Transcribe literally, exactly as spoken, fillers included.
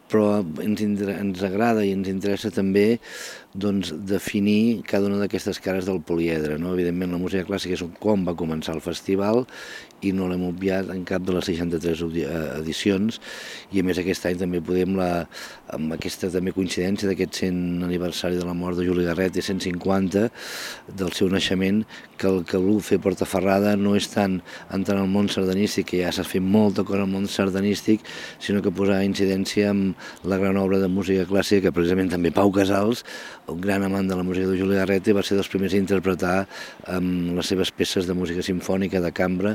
però ens, ens agrada i ens interessa també doncs, definir cada una d'aquestes cares del poliedre. No? Evidentment, la música clàssica és com va començar el festival i no l'hem obviat en cap de les seixanta-tres edicions, i a més aquest any també podem, la, amb aquesta també coincidència d'aquest cent aniversari de la mort de Juli Garret i cent cinquanta del seu naixement, que el que vol fer Portaferrada no és tant entrar al món sardanístic, que ja s'ha fet molta cosa al món sardanístic, sinó que posar incidència amb la gran obra de música clàssica que precisament també Pau Casals, un gran amant de la música de Juli Garret, va ser dels primers a interpretar um, les seves peces de música simfònica de cambra